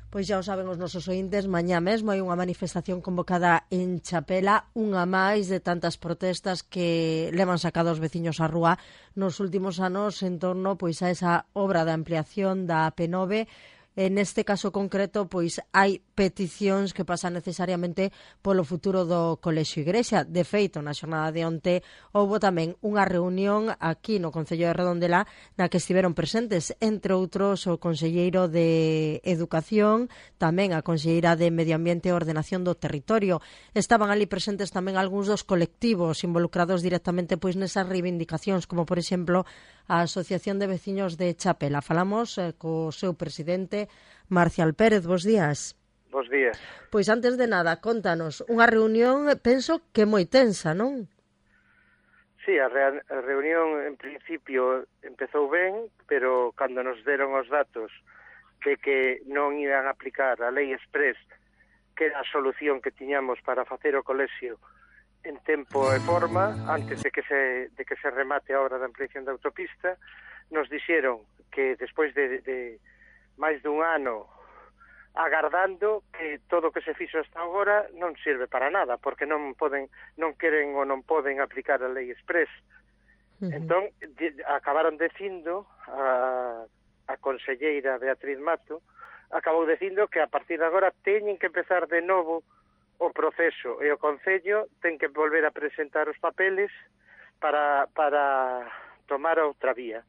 Pois xa o saben os nosos ointes, mañá mesmo hai unha manifestación convocada en Chapela, unha máis de tantas protestas que levan sacado os veciños á rúa nos últimos anos en torno pois a esa obra de ampliación da AP9. En este caso concreto, pois hai peticións que pasan necesariamente polo futuro do Colexio Igrexa. De feito, na xornada de onte houbo tamén unha reunión aquí no Concello de Redondela na que estiveron presentes, entre outros, o conselleiro de Educación, tamén a conselleira de Medio Ambiente e Ordenación do Territorio. Estaban ali presentes tamén algúns dos colectivos involucrados directamente pois nesas reivindicacións, como por exemplo a Asociación de Veciños de Chapela. Falamos co seu presidente, Marcial Pérez. Bos días. Bos días. Pois antes de nada, contanos, unha reunión, penso que moi tensa, non? Sí, a reunión en principio empezou ben, pero cando nos deron os datos de que non iban a aplicar a lei express, que era a solución que tiñamos para facer o colexio en tempo e forma, antes de que se remate a obra da ampliación da autopista, nos dixeron que despois de máis dun ano agardando, que todo o que se fixo hasta agora non sirve para nada, porque non queren ou non poden aplicar a lei express. Entón, acabaron dicindo a conselleira Beatriz Mato, acabou dicindo que a partir de agora teñen que empezar de novo o proceso, e o Concello ten que volver a presentar os papeles para tomar outra vía,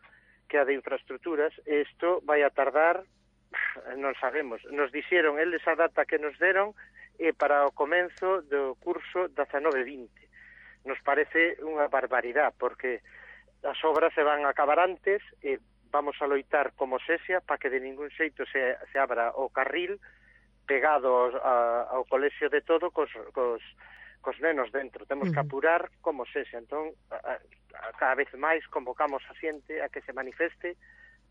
que a de infraestructuras. Isto vai a tardar, non sabemos. Nos dixeron eles a data que nos deron para o comenzo do curso 19-20. Nos parece unha barbaridade, porque as obras se van a acabar antes e vamos a loitar como sexa para que de ningún xeito se abra o carril pegado ao colexio de todo cos nenos dentro. Temos que apurar como sexa. Entón, cada vez máis convocamos a xente a que se manifeste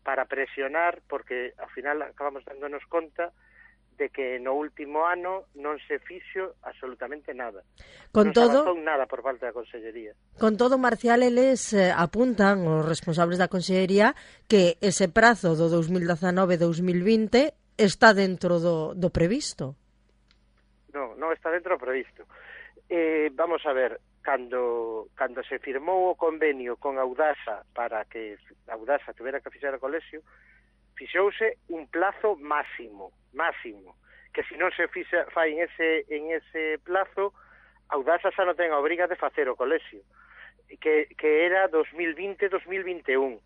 para presionar, porque ao final acabamos dándonos conta de que no último ano non se fixo absolutamente nada. Non se avanzou nada por parte da Consellería. Con todo, Marcial, eles apuntan, os responsables da Consellería, que ese prazo do 2019-2020 está dentro do previsto. Non está dentro do previsto. Vamos a ver, cando se firmou o convenio con Audasa para que Audasa tuvera que fixar o colexio, fixouse un plazo máximo, que se non se fai en ese plazo, Audasa xa non ten a obriga de facer o colexio, que era 2020-2021.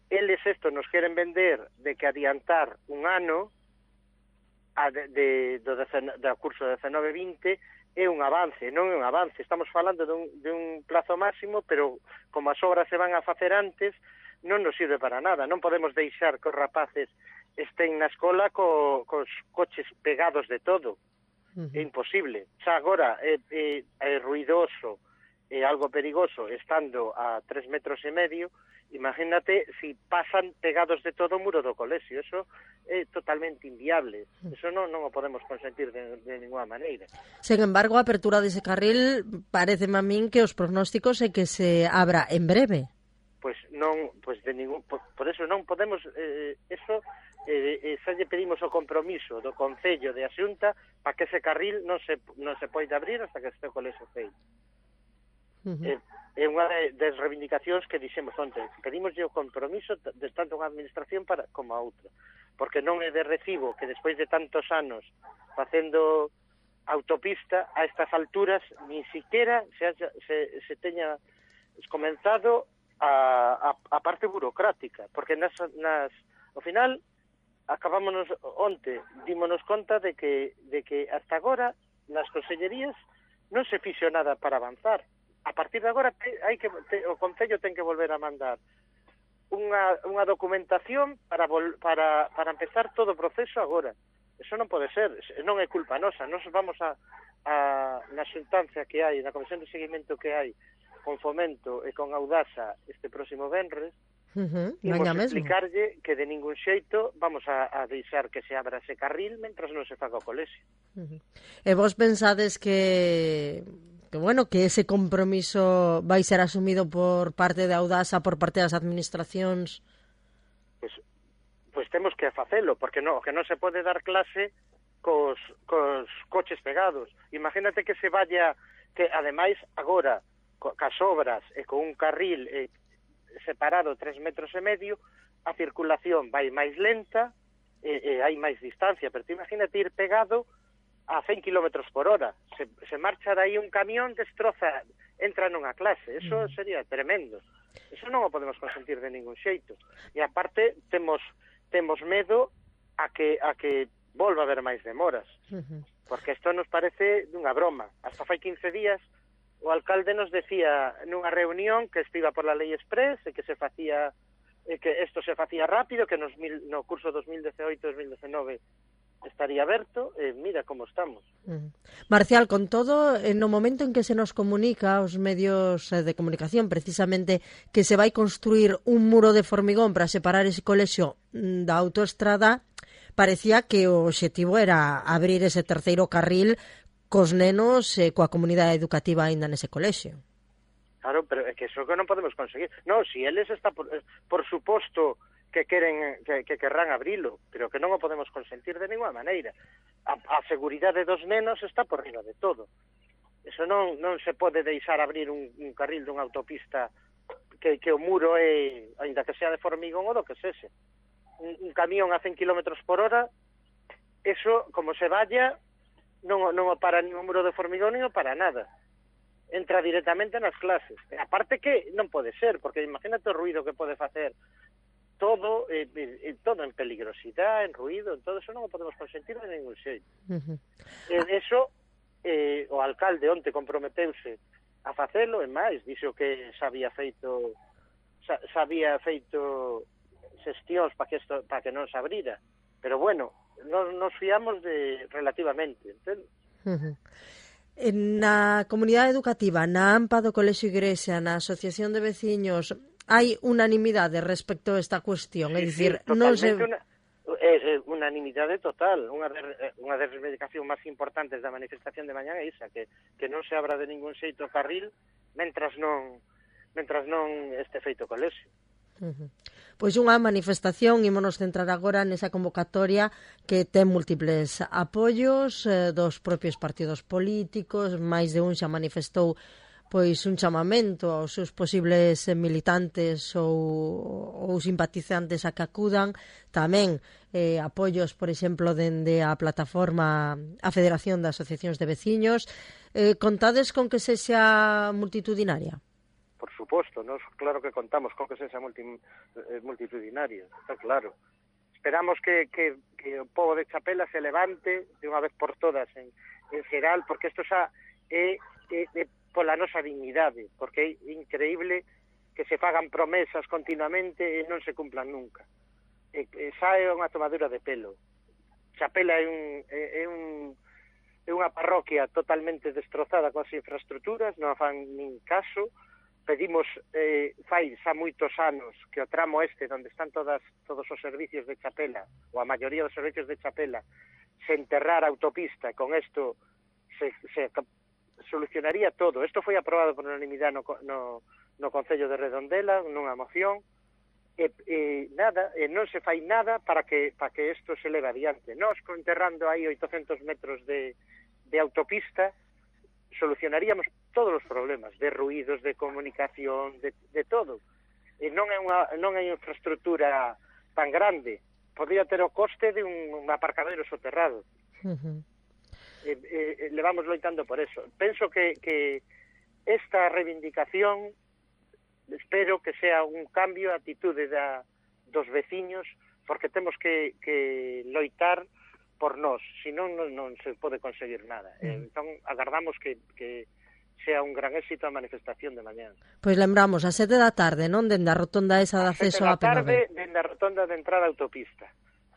Eles nos queren vender de que adiantar un ano do curso 19-20 é un avance. Non é un avance, estamos falando dun plazo máximo, pero como as obras se van a facer antes, non nos sirve para nada. Non podemos deixar que os rapaces estén na escola cos coches pegados de todo. É imposible. Xa agora é ruidoso, é algo perigoso, estando a 3,5 metros, imagínate si pasan pegados de todo o muro do colexio. Eso é totalmente inviable. Eso non o podemos consentir de ninguna maneira. Sen embargo, a apertura dese carril pareceme a min que os prognósticos é que se abra en breve. Pois non, por eso non podemos xa lle pedimos o compromiso do Concello de Asunta para que ese carril non se poida abrir hasta que este colexio feito. É unha das reivindicacións que dixemos onte. Pedimos o compromiso de tanto unha administración como a outra, porque non é de recibo que despois de tantos anos facendo autopista a estas alturas ni siquiera se teña comenzado a parte burocrática, porque ao final acabámonos onte, dímonos conta de que hasta agora nas consellerías non se fixo nada para avanzar. A partir de agora o Concello ten que volver a mandar unha documentación para empezar todo o proceso agora. Eso non pode ser, non é culpa nosa. Nos vamos na xuntanza que hai, na comisión de seguimento que hai con Fomento e con Audasa este próximo venres, imos explicarlle que de ningún xeito vamos a deixar que se abra ese carril mentras non se faga o colexio. E vos pensades que ese compromiso vai ser asumido por parte de Audasa, por parte das administracións? pois temos que facelo, porque o que non se pode dar clase cos coches pegados. Imagínate que se vaya, que ademais agora, cas obras e con un carril separado 3,5 metros, a circulación vai máis lenta e hai máis distancia, pero tú imagínate ir pegado a 100 km por hora. Se marcha dai un camión, destroza, entra nunha clase. Eso sería tremendo. Eso non o podemos consentir de ningún xeito. E aparte temos medo a que volva a haber máis demoras. Porque isto nos parece dunha broma. Hasta fai 15 días o alcalde nos decía nunha reunión que estiba por la lei express e que se facía que isto se facía rápido, que no curso 2018-2019 estaría aberto, mira como estamos. Marcial, con todo, no momento en que se nos comunica aos medios de comunicación precisamente que se vai construir un muro de formigón para separar ese colexio da autoestrada, parecía que o obxectivo era abrir ese terceiro carril cos nenos e coa comunidade educativa aínda nese colexio. Claro, pero é que eso que non podemos conseguir. Non, si eles está por suposto que querrán abrilo, pero que non o podemos consentir de ninguna maneira. A seguridade dos nenos está por riba de todo. Eso non se pode deixar abrir un carril dunha autopista que o muro é, ainda que sea de formigón ou do que sese. Un camión a 100 km por hora, eso, como se vaya, non o para nin o muro de formigón nin o para nada. Entra directamente nas clases. E aparte que non pode ser, porque imagínate o ruido que pode facer todo en peligrosidade, en ruido, en todo eso non o podemos consentir de ningún xeito. Eso, o alcalde onte comprometeuse a facelo, e máis, dixo que xa había feito xestións para que non se abrira. Pero bueno, nos fiamos de relativamente, entende? Na comunidade educativa, na AMPA do Colexio Igrexa, na Asociación de Veciños, hai unanimidade respecto a esta cuestión, é dicir, non se... unanimidade total. Unha das reivindicacións máis importantes da manifestación de mañá é esa, que non se abra de ningún xeito o carril mentras non este feito colexio. Pois unha manifestación, ímonos centrar agora nesa convocatoria que ten múltiples apoios dos propios partidos políticos, máis de un xa manifestou pois un chamamento aos seus posibles militantes ou simpatizantes a que acudan, tamén apoios, por exemplo, dende a plataforma a Federación de Asociacións de Veciños. Contades con que sexa multitudinaria? Por suposto, nós claro que contamos con que sexa multitudinario, está claro. Esperamos que o povo de Chapela se levante de unha vez por todas en xeral, porque isto xa é pola nosa dignidade, porque é increíble que se fagan promesas continuamente e non se cumplan nunca. Xa é unha tomadura de pelo. Chapela é unha parroquia totalmente destrozada coas infraestructuras, non fan nin caso. Pedimos, fai xa moitos anos, que o tramo este, onde están todos os servicios de Chapela, ou a maioría dos servicios de Chapela, se enterrara a autopista, con isto se solucionaría todo. Isto foi aprobado por unanimidade no Concello de Redondela, nunha moción, e non se fai nada para que isto se leve adiante. Nós, enterrando aí 800 metros de autopista, solucionaríamos todos os problemas de ruídos, de comunicación, de todo. E non é unha infraestructura tan grande. Podría ter o coste de un aparcadero soterrado. Levamos loitando por eso. Penso que esta reivindicación, espero que sea un cambio de atitude dos veciños, porque temos que loitar por nós, senón non se pode conseguir nada. Entón, agardamos que sea un gran éxito a manifestación de mañá. Pois lembramos, a 7 da tarde, non? Dende a rotonda esa de acceso á P9. A 7 da tarde, dende a rotonda de entrada á autopista,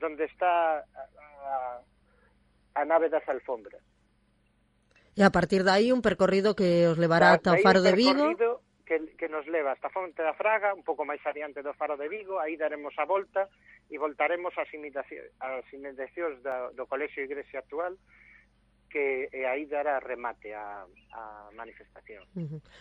onde está a nave das alfombras. E a partir de aí un percorrido que os levará ata o Faro de Vigo. Un percorrido que nos leva hasta Fonte da Fraga, un pouco máis adiante do Faro de Vigo, aí daremos a volta e voltaremos ás inmediacións do Colexio Igrexa actual, que aí dará remate a manifestación.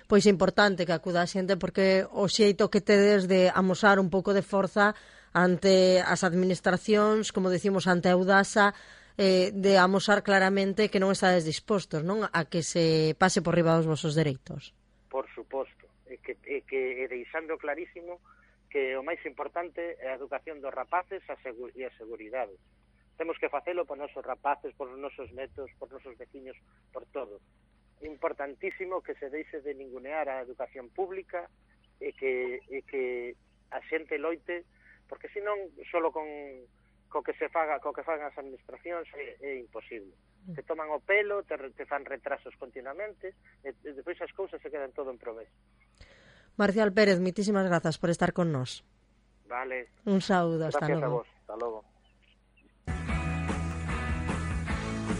Pois é importante que acuda a xente, porque o xeito que tedes de amosar un pouco de forza ante as administracións, como decimos, ante a Eudasa, de amosar claramente que non estades dispostos, non, a que se pase por riba dos vosos dereitos. Por suposto, e deixando clarísimo que o máis importante é a educación dos rapaces e a seguridade. Temos que facelo por nosos rapaces, por nosos netos, por nosos veciños, por todo. É importantísimo que se deixe de ningunear a educación pública e que a xente loite, porque senón solo co que fagan as administracións é imposible. Te toman o pelo, te fan retrasos continuamente e depois as cousas se quedan todo en promesa. Marcial Pérez, moitísimas grazas por estar con nós. Vale. Un saúdo, hasta logo. Gracias a vos, hasta logo.